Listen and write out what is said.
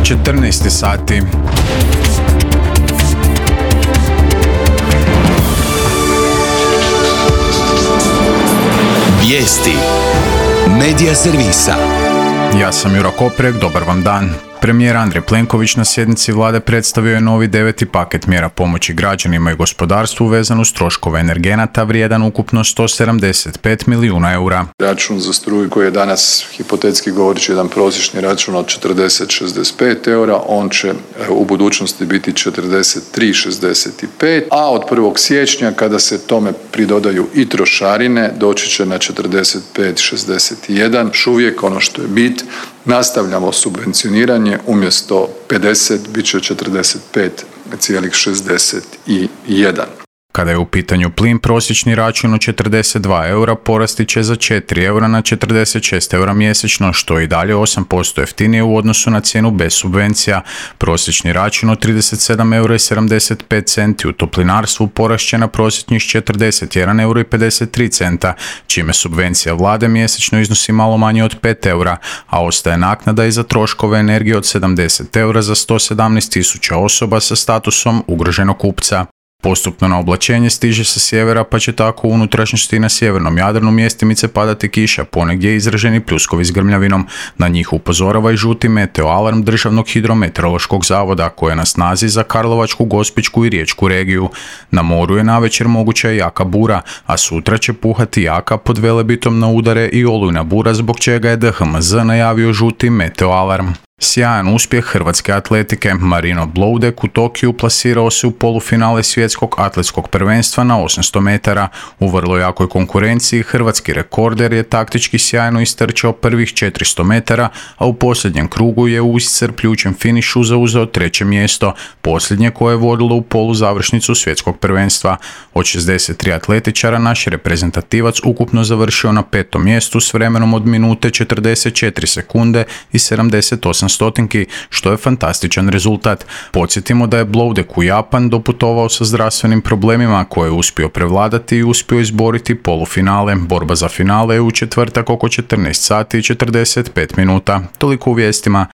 14 sati. Vijesti Medija servisa. Ja sam Juro Koprek, dobar vam dan. Premijer Andrej Plenković na sjednici vlade predstavio je novi 9. paket mjera pomoći građanima i gospodarstvu vezan uz troškove energenata vrijedan ukupno 175 milijuna eura. Račun za struju koji je danas hipotetski govoreći jedan prosječni račun od 40-65 eura, on će u budućnosti biti 43-65, a od 1. siječnja kada se tome pridodaju i trošarine doći će na 45-61. Još uvijek ono što je bit, nastavljamo subvencioniranje, umjesto 50 bit će 45,61. Kada je u pitanju plin, prosječni račun od 42 eura porasti će za 4 eura na 46 eura mjesečno, što je i dalje 8% jeftinije u odnosu na cijenu bez subvencija. Prosječni račun od 37 eura i 75 centi u toplinarstvu porast će na prosječnih 41 euro i 53 centa, čime subvencija vlade mjesečno iznosi malo manje od 5 eura, a ostaje naknada i za troškove energije od 70 eura za 117.000 osoba sa statusom ugroženog kupca. Postupno na oblačenje stiže sa sjevera, pa će tako u unutrašnjosti i na sjevernom Jadranu mjestimice padati kiša, ponegdje izraženi pljuskovi s grmljavinom. Na njih upozorava i žuti meteoalarm Državnog hidrometeorološkog zavoda, koji je na snazi za Karlovačku, Gospićku i Riječku regiju. Na moru je navečer moguća i jaka bura, a sutra će puhati jaka pod Velebitom na udare i olujna bura, zbog čega je DHMZ najavio žuti meteoalarm. Sjajan uspjeh hrvatske atletike. Marino Bloudek u Tokiju plasirao se u polufinale svjetskog atletskog prvenstva na 800 metara. U vrlo jakoj konkurenciji hrvatski rekorder je taktički sjajno istrčao prvih 400 metara, a u posljednjem krugu je u iscrpljujućem finišu zauzeo 3. mjesto, posljednje koje je vodilo u poluzavršnicu svjetskog prvenstva. Od 63 atletičara naš reprezentativac ukupno završio na 5. mjestu s vremenom od minute 44 sekunde i 78 stotinki, što je fantastičan rezultat. Podsjetimo da je Bloudek u Japan doputovao sa zdravstvenim problemima koje je uspio prevladati i uspio izboriti polufinale. Borba za finale je u četvrtak oko 14 sati i 45 minuta. Toliko u vijestima.